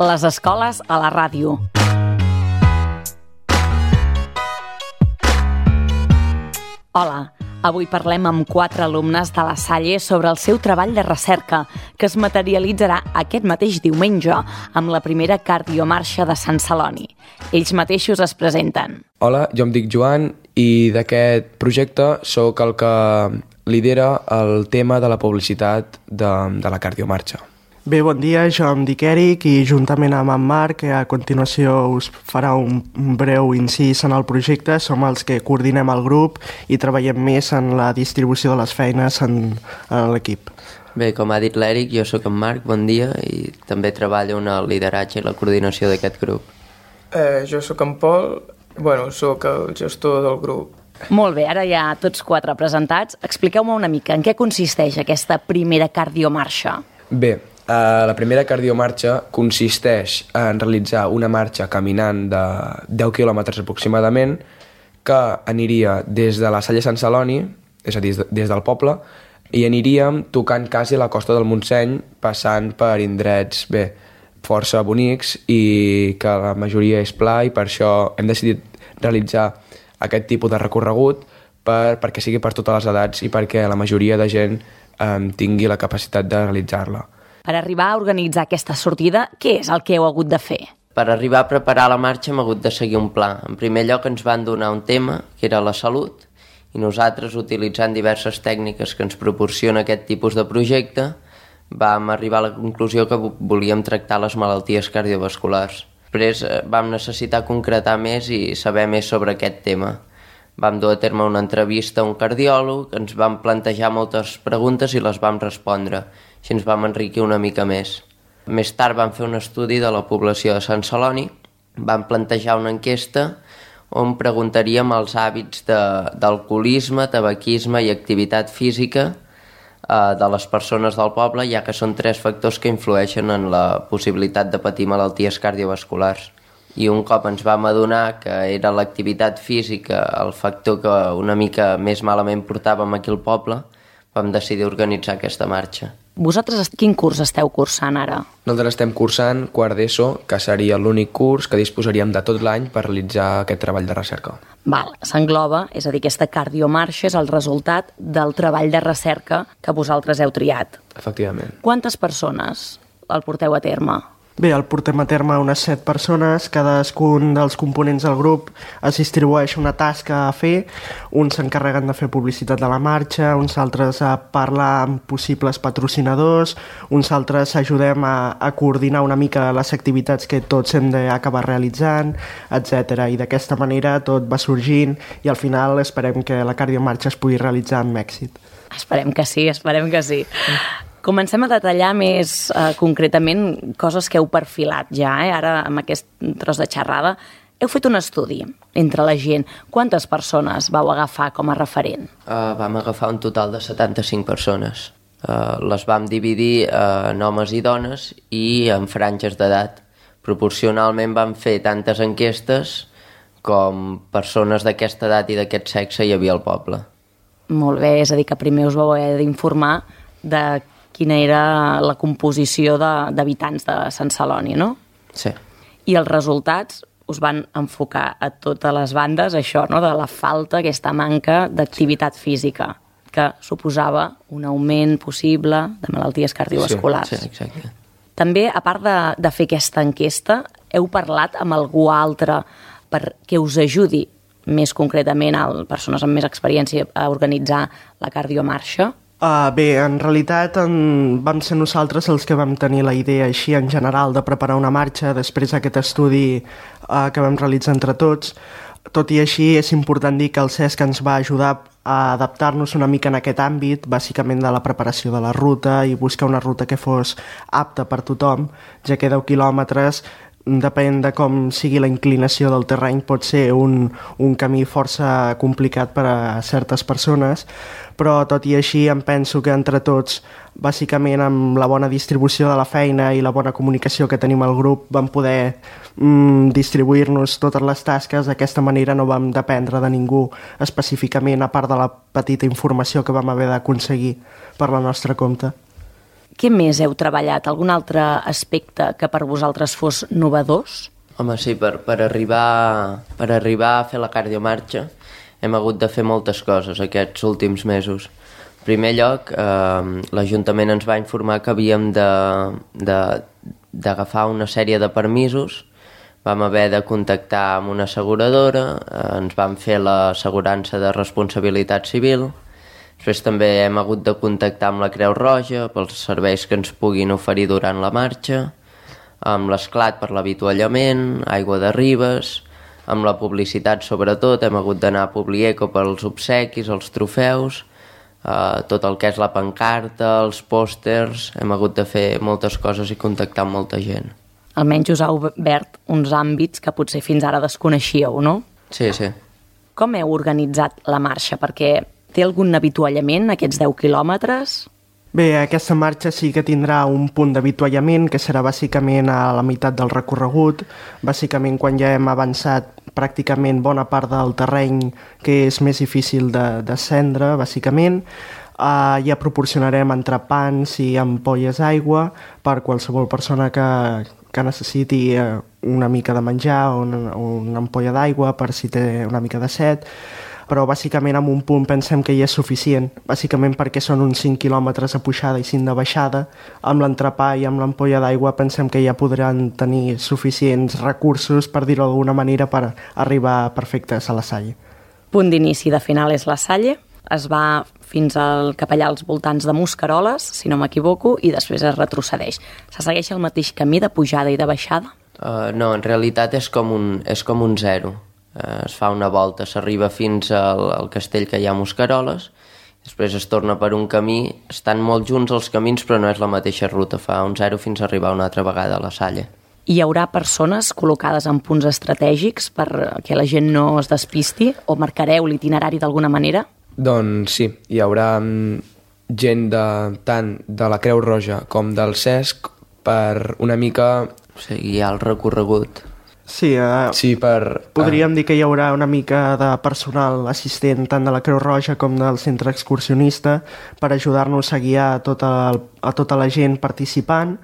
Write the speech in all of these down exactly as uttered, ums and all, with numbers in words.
Les escoles a la ràdio. Hola, avui parlem amb quatre alumnes de la Salle sobre el seu treball de recerca, que es materialitzarà aquest mateix diumenge amb la primera cardiomarxa de Sant Celoni. Ells mateixos es presenten. Hola, jo em dic Joan i d'aquest projecte sóc el que lidera el tema de la publicitat de, de la cardiomarxa. Bé, bon dia, jo em dic Eric i juntament amb en Marc, que a continuació us farà un breu incís en el projecte, som els que coordinem el grup i treballem més en la distribució de les feines en, en l'equip. Bé, com ha dit l'Eric, jo sóc en Marc, bon dia, i també treballo en el lideratge i la coordinació d'aquest grup. Eh, jo sóc en Pol, bueno, sóc el gestor del grup. Molt bé, ara ja tots quatre presentats. Expliqueu-me una mica en què consisteix aquesta primera cardiomarxa. Bé, Uh, la primera cardiomarxa consisteix en realitzar una marxa caminant de deu quilòmetres aproximadament que aniria des de la Salle Sant Celoni, és a dir, des del poble, i aniríem tocant quasi la costa del Montseny, passant per indrets, bé, força bonics i que la majoria és pla, i per això hem decidit realitzar aquest tipus de recorregut per, perquè sigui per totes les edats i perquè la majoria de gent um, tingui la capacitat de realitzar-la. Per arribar a organitzar aquesta sortida, què és el que heu hagut de fer? Per arribar a preparar la marxa hem hagut de seguir un pla. En primer lloc ens van donar un tema, que era la salut, i nosaltres, utilitzant diverses tècniques que ens proporciona aquest tipus de projecte, vam arribar a la conclusió que volíem tractar les malalties cardiovasculars. Després vam necessitar concretar més i saber més sobre aquest tema. Vam dur a terme una entrevista a un cardiòleg, ens vam plantejar moltes preguntes i les vam respondre. Així ens vam enriquir una mica més. Més tard vam fer un estudi de la població de Sant Celoni, vam plantejar una enquesta on preguntaríem els hàbits de, d'alcoholisme, tabaquisme i activitat física eh, de les persones del poble, ja que són tres factors que influeixen en la possibilitat de patir malalties cardiovasculars. I un cop ens vam adonar que era l'activitat física el factor que una mica més malament portàvem aquí al poble, vam decidir organitzar aquesta marxa. Vosaltres quin curs esteu cursant ara? Nosaltres estem cursant quart d'ESO, que seria l'únic curs que disposaríem de tot l'any per realitzar aquest treball de recerca. Val, s'engloba, és a dir, aquesta cardiomarxa és el resultat del treball de recerca que vosaltres heu triat. Efectivament. Quantes persones el porteu a terme? Bé, el portem a terme unes set persones, cadascun dels components del grup es distribueix una tasca a fer, uns s'encarreguen de fer publicitat de la marxa, uns altres a parlar amb possibles patrocinadors, uns altres ajudem a, a coordinar una mica les activitats que tots hem d'acabar realitzant, etcètera. I d'aquesta manera tot va sorgint i al final esperem que la cardiomarxa es pugui realitzar amb èxit. Esperem que sí, esperem que sí. Comencem a detallar més eh, concretament coses que heu perfilat ja, eh? Ara amb aquest tros de xerrada. Heu fet un estudi entre la gent. Quantes persones vau agafar com a referent? Uh, vam agafar un total de setanta-cinc persones. Uh, les vam dividir uh, en homes i dones i en franges d'edat. Proporcionalment vam fer tantes enquestes com persones d'aquesta edat i d'aquest sexe hi havia al poble. Molt bé, és a dir, que primer us vau haver d'informar de quina era la composició de, d'habitants de Sant Celoni, no? Sí. I els resultats us van enfocar a totes les bandes, això, no?, de la falta, aquesta manca d'activitat física, que suposava un augment possible de malalties cardiovasculars. Sí, sí, exacte. També, a part de, de fer aquesta enquesta, heu parlat amb algú altre perquè us ajudi més concretament a persones amb més experiència a organitzar la cardiomarxa? Uh, bé, en realitat en, vam ser nosaltres els que vam tenir la idea així en general de preparar una marxa després d'aquest estudi uh, que vam realitzar entre tots. Tot i així és important dir que el CESC ens va ajudar a adaptar-nos una mica en aquest àmbit, bàsicament de la preparació de la ruta i buscar una ruta que fos apta per tothom, ja que deu quilòmetres, depèn de com sigui la inclinació del terreny, pot ser un, un camí força complicat per a certes persones, però tot i així em penso que entre tots, bàsicament amb la bona distribució de la feina i la bona comunicació que tenim al grup, vam poder mm, distribuir-nos totes les tasques. D'aquesta manera no vam dependre de ningú específicament, a part de la petita informació que vam haver d'aconseguir per la nostra compte. Què més heu treballat? Algun altre aspecte que per vosaltres fos novedós? Home, sí, per, per, arribar, per arribar a fer la cardiomarxa hem hagut de fer moltes coses aquests últims mesos. En primer lloc, eh, l'Ajuntament ens va informar que havíem d'agafar una sèrie de permisos. Vam haver de contactar amb una asseguradora, eh, ens van fer l'assegurança de responsabilitat civil. Després també hem hagut de contactar amb la Creu Roja pels serveis que ens puguin oferir durant la marxa, amb l'Esclat per l'avituallament, Aigua de Ribes, amb la publicitat sobretot, hem hagut d'anar a Publieco pels obsequis, els trofeus, eh, tot el que és la pancarta, els pòsters, hem hagut de fer moltes coses i contactar amb molta gent. Almenys us ha obert uns àmbits que potser fins ara desconeixíeu, no? Sí, sí. Com heu organitzat la marxa? Perquè té algun avituallament, aquests deu quilòmetres? Bé, aquesta marxa sí que tindrà un punt d'avituallament, que serà bàsicament a la meitat del recorregut, bàsicament quan ja hem avançat pràcticament bona part del terreny que és més difícil de descendre, bàsicament. Uh, ja proporcionarem entrepans i ampolles d'aigua per qualsevol persona que, que necessiti uh, una mica de menjar o una, una ampolla d'aigua per si té una mica de set, però bàsicament en un punt pensem que ja és suficient, bàsicament perquè són uns cinc quilòmetres de pujada i cinc de baixada. Amb l'entrepà i amb l'ampolla d'aigua pensem que ja podran tenir suficients recursos, per dir-ho d'alguna manera, per arribar perfectes a la Salle. Punt d'inici i de final és la Salle. Es va fins al cap allà als voltants de Mosqueroles, si no m'equivoco, i després es retrocedeix. Se segueix el mateix camí de pujada i de baixada? Uh, no, en realitat és com un, és com un zero. Uh, es fa una volta, s'arriba fins al, al castell que hi ha a Mosqueroles, després es torna per un camí, estan molt junts els camins però no és la mateixa ruta, fa un zero fins a arribar una altra vegada a la Salle. Hi haurà persones col·locades en punts estratègics perquè la gent no es despisti, o marcareu l'itinerari d'alguna manera? Doncs sí, hi haurà gent de, tant de la Creu Roja com del C E S C per una mica... O sigui, hi ha el recorregut. Sí, uh, sí per, podríem uh, dir que hi haurà una mica de personal assistent tant de la Creu Roja com del centre excursionista per ajudar-nos a guiar a tota, el, a tota la gent participant.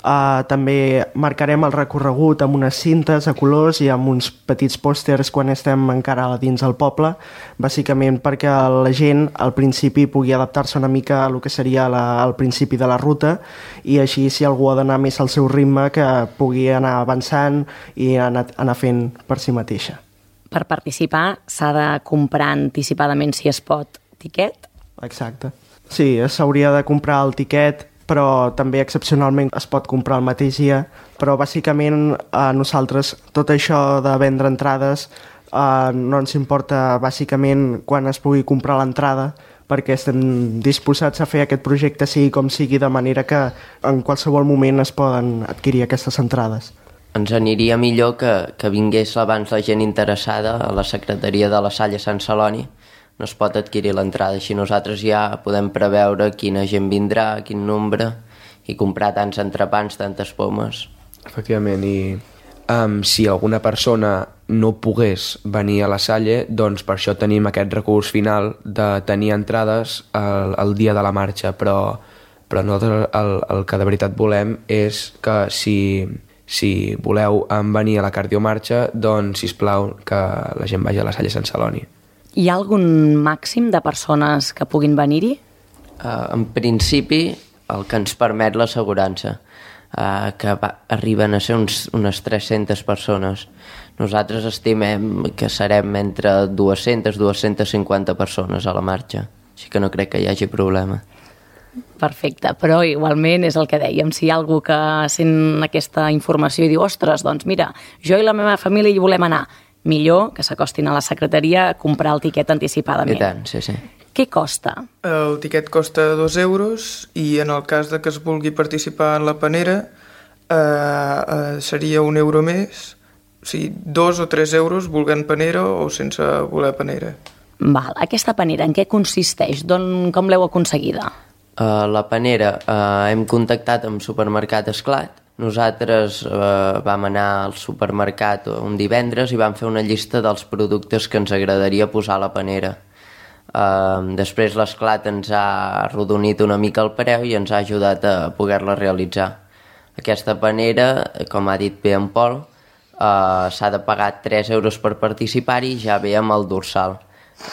Uh, també marcarem el recorregut amb unes cintes a colors i amb uns petits pòsters quan estem encara dins del poble, bàsicament perquè la gent al principi pugui adaptar-se una mica a el que seria la, el principi de la ruta, i així si algú ha d'anar més al seu ritme que pugui anar avançant i anar, anar fent per si mateixa. Per participar s'ha de comprar anticipadament, si es pot, tiquet? Exacte. Sí, s'hauria de comprar el tiquet, però també excepcionalment es pot comprar el mateix dia, però bàsicament a nosaltres tot això de vendre entrades eh, no ens importa bàsicament quan es pugui comprar l'entrada, perquè estem disposats a fer aquest projecte sigui com sigui, de manera que en qualsevol moment es poden adquirir aquestes entrades. Ens aniria millor que, que vingués abans la gent interessada a la secretaria de la Salle Sant Celoni. No es pot adquirir l'entrada, així nosaltres ja podem preveure quina gent vindrà, quin nombre, i comprar tants entrepans, tantes pomes. Efectivament, i um, si alguna persona no pogués venir a la Salle, doncs per això tenim aquest recurs final de tenir entrades el, el dia de la marxa, però, però nosaltres el, el que de veritat volem és que si, si voleu venir a la cardiomarxa, doncs sisplau que la gent vagi a la Salle Sant Celoni. Hi ha algun màxim de persones que puguin venir-hi? Uh, en principi, el que ens permet l'assegurança, uh, que va, arriben a ser uns, unes tres-centes persones. Nosaltres estimem que serem entre dues-centes a dues-centes cinquanta persones a la marxa, així que no crec que hi hagi problema. Perfecte, però igualment és el que dèiem, si hi ha algú que sent aquesta informació i diu, ostres, doncs mira, jo i la meva família hi volem anar, millor que s'acostin a la secretaria a comprar el tiquet anticipadament. I tant, sí, sí. Què costa? El tiquet costa dos euros i en el cas de que es vulgui participar en la panera eh, eh, seria un euro més, o sigui, dos o tres euros volent panera o sense voler panera. Val. Aquesta panera en què consisteix? Don, com l'heu aconseguida? Uh, la panera, uh, hem contactat amb Supermercat Esclat. Nosaltres eh, vam anar al supermercat un divendres i vam fer una llista dels productes que ens agradaria posar a la panera. Uh, després l'esclat ens ha arrodonit una mica el preu i ens ha ajudat a poder-la realitzar. Aquesta panera, com ha dit bé en Pol, uh, s'ha de pagar tres euros per participar-hi, ja ve amb el dorsal.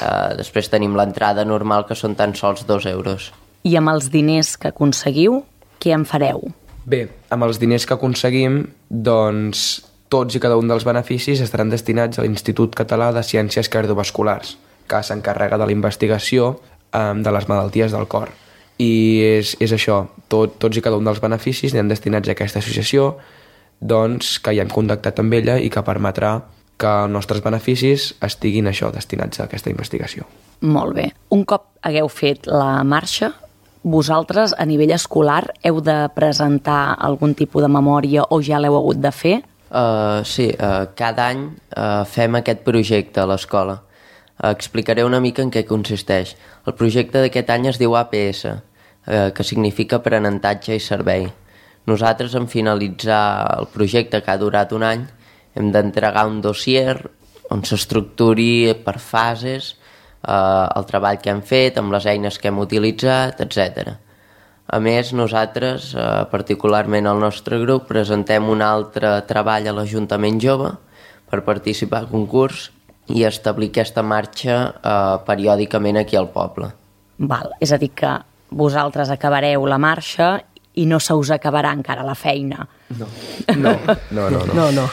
Uh, després tenim l'entrada normal, que són tan sols dos euros. I amb els diners que aconseguiu, què en fareu? Bé, amb els diners que aconseguim, doncs tots i cada un dels beneficis estaran destinats a l'Institut Català de Ciències Cardiovasculars, que s'encarrega de la investigació eh, de les malalties del cor. I és, és això, tot, tots i cada un dels beneficis aniran destinats a aquesta associació, doncs, que ja hem contactat amb ella i que permetrà que els nostres beneficis estiguin això, destinats a aquesta investigació. Molt bé. Un cop hagueu fet la marxa, vosaltres, a nivell escolar, heu de presentar algun tipus de memòria o ja l'heu hagut de fer? Uh, sí, uh, cada any uh, fem aquest projecte a l'escola. Uh, explicaré una mica en què consisteix. El projecte d'aquest any es diu A P S, uh, que significa aprenentatge i servei. Nosaltres, en finalitzar el projecte, que ha durat un any, hem d'entregar un dossier on s'estructuri per fases uh, el treball que hem fet, amb les eines que hem utilitzat, etcètera. A més, nosaltres, eh, particularment el nostre grup, presentem un altre treball a l'Ajuntament Jove per participar al concurs i establir aquesta marxa eh, periòdicament aquí al poble. Val, és a dir que vosaltres acabareu la marxa i no se us acabarà encara la feina. No, no, no, no. no. No, no.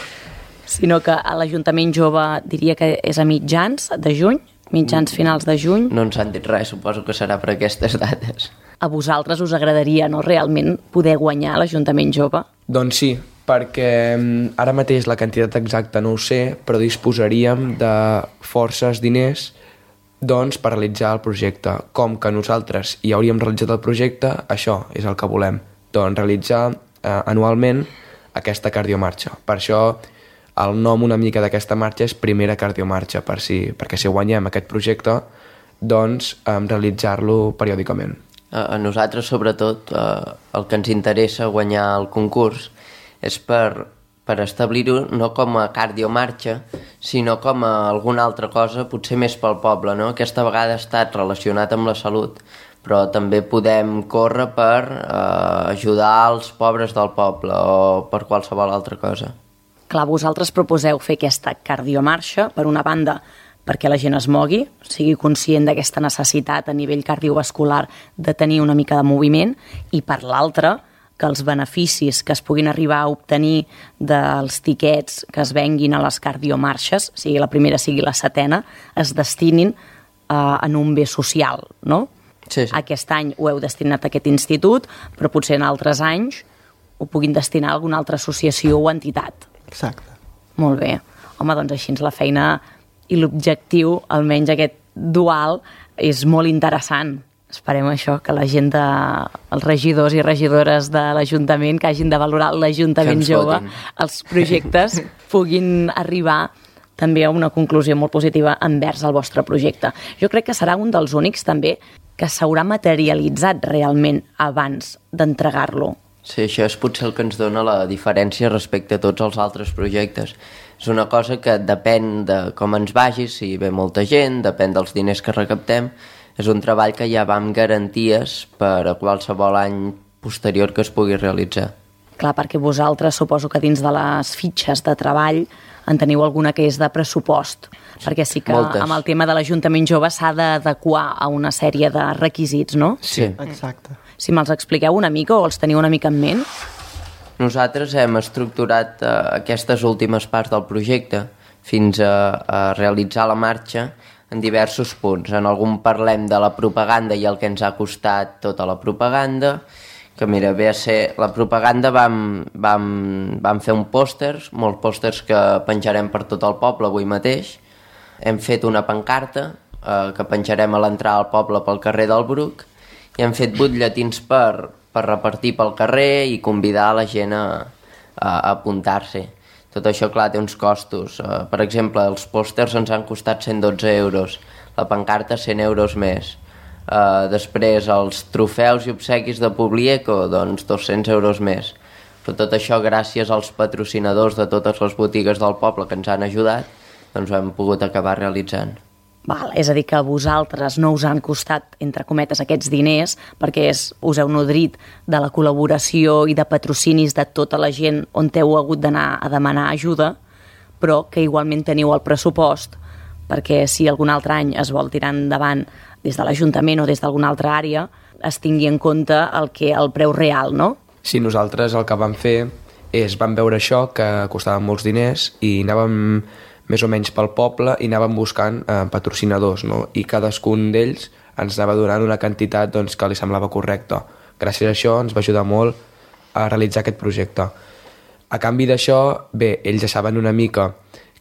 Sinó que a l'Ajuntament Jove diria que és a mitjans de juny, mitjans finals de juny. No ens han dit res, suposo que serà per aquestes dates. A vosaltres us agradaria, no, realment poder guanyar l'Ajuntament Jove? Doncs sí, perquè ara mateix la quantitat exacta no ho sé, però disposaríem de forces diners doncs, per realitzar el projecte. Com que nosaltres ja hauríem realitzat el projecte, això és el que volem, doncs realitzar eh, anualment aquesta cardiomarxa. Per això el nom una mica d'aquesta marxa és Primera Cardiomarxa, per si, perquè si guanyem aquest projecte, doncs eh, realitzar-lo periòdicament. A nosaltres, sobretot, eh, el que ens interessa guanyar el concurs és per, per establir-ho no com a cardiomarxa, sinó com a alguna altra cosa, potser més pel poble, no? Aquesta vegada ha estat relacionat amb la salut, però també podem córrer per eh, ajudar els pobres del poble o per qualsevol altra cosa. Clar, vosaltres proposeu fer aquesta cardiomarxa, per una banda, perquè la gent es mogui, sigui conscient d'aquesta necessitat a nivell cardiovascular de tenir una mica de moviment, i per l'altra, que els beneficis que es puguin arribar a obtenir dels tiquets que es venguin a les cardiomarxes, sigui la primera, sigui la setena, es destinin eh, en un bé social, no? Sí, sí. Aquest any ho heu destinat a aquest institut, però potser en altres anys ho puguin destinar a alguna altra associació o entitat. Exacte. Molt bé. Home, doncs així la feina i l'objectiu, almenys aquest dual, és molt interessant. Esperem això, que la gent, de, els regidors i regidores de l'Ajuntament, que hagin de valorar l'Ajuntament Jove, els projectes, puguin arribar també a una conclusió molt positiva envers el vostre projecte. Jo crec que serà un dels únics també que s'haurà materialitzat realment abans d'entregar-lo. Sí, això és potser el que ens dona la diferència respecte a tots els altres projectes. És una cosa que depèn de com ens vagi, si ve molta gent, depèn dels diners que recaptem. És un treball que ja va amb garanties per a qualsevol any posterior que es pugui realitzar. Clar, perquè vosaltres suposo que dins de les fitxes de treball en teniu alguna que és de pressupost, perquè sí que Moltes. Amb el tema de l'Ajuntament Jove s'ha d'adequar a una sèrie de requisits, no? Sí. Exacte. Si me'ls expliqueu una mica o els teniu una mica en ment. Nosaltres hem estructurat eh, aquestes últimes parts del projecte fins a, a realitzar la marxa en diversos punts. En algun parlem de la propaganda i el que ens ha costat tota la propaganda, que mira, ve a ser... La propaganda vam, vam, vam fer un pòsters, molts pòsters que penjarem per tot el poble avui mateix. Hem fet una pancarta eh, que penjarem a l'entrada al poble pel carrer del Bruc i hem fet butlletins per, per repartir pel carrer i convidar la gent a, a, a apuntar-se. Tot això, clar, té uns costos. Uh, per exemple, els pòsters ens han costat cent dotze euros, la pancarta cent euros més. Uh, després, els trofeus i obsequis de Publieco, doncs dos-cents euros més. Però tot això, gràcies als patrocinadors de totes les botigues del poble que ens han ajudat, doncs ho hem pogut acabar realitzant. Val, és a dir, que a vosaltres no us han costat, entre cometes, aquests diners, perquè és, us heu nodrit de la col·laboració i de patrocinis de tota la gent on heu hagut d'anar a demanar ajuda, però que igualment teniu el pressupost, perquè si algun altre any es vol tirar endavant des de l'Ajuntament o des d'alguna altra àrea, es tingui en compte el, que, el preu real, no? Sí, nosaltres el que vam fer és, vam veure això, que costava molts diners, i anàvem més o menys pel poble i anàvem buscant eh, patrocinadors, no? I cadascun d'ells ens anava donant una quantitat doncs, que li semblava correcta. Gràcies a això ens va ajudar molt a realitzar aquest projecte. A canvi d'això, bé, ells ja saben una mica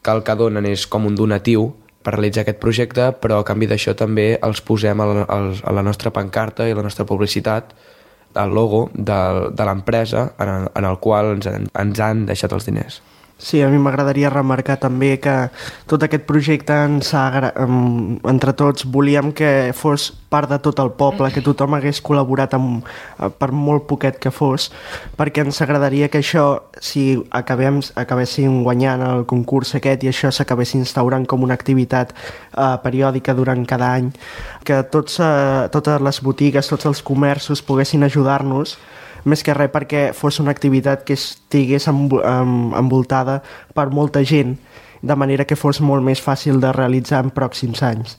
que el que donen és com un donatiu per realitzar aquest projecte, però a canvi d'això també els posem a la, a la nostra pancarta i a la nostra publicitat el logo de, de l'empresa en, en el qual ens, ens han deixat els diners. Sí, a mi m'agradaria remarcar també que tot aquest projecte ens ha, entre tots volíem que fos part de tot el poble, que tothom hagués col·laborat amb, per molt poquet que fos, perquè ens agradaria que això, si acabem, acabéssim guanyant el concurs aquest i això s'acabés instaurant com una activitat eh, periòdica durant cada any, que tots, eh, totes les botigues, tots els comerços poguessin ajudar-nos, més que res perquè fos una activitat que estigués envoltada per molta gent, de manera que fos molt més fàcil de realitzar en pròxims anys.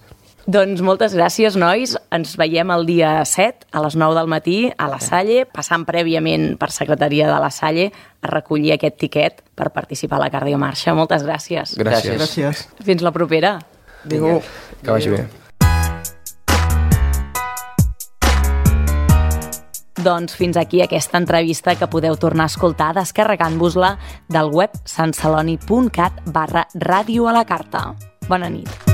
Doncs moltes gràcies, nois. Ens veiem el dia set a les nou del matí a la Salle, passant prèviament per secretaria de la Salle a recollir aquest tiquet per participar a la Cardiomarxa. Moltes gràcies. Gràcies. Gràcies. Fins la propera. Adéu. Que vagi bé. Doncs fins aquí aquesta entrevista que podeu tornar a escoltar descarregant-vos-la del web santceloni punt cat barra ràdio a la carta. Bona nit.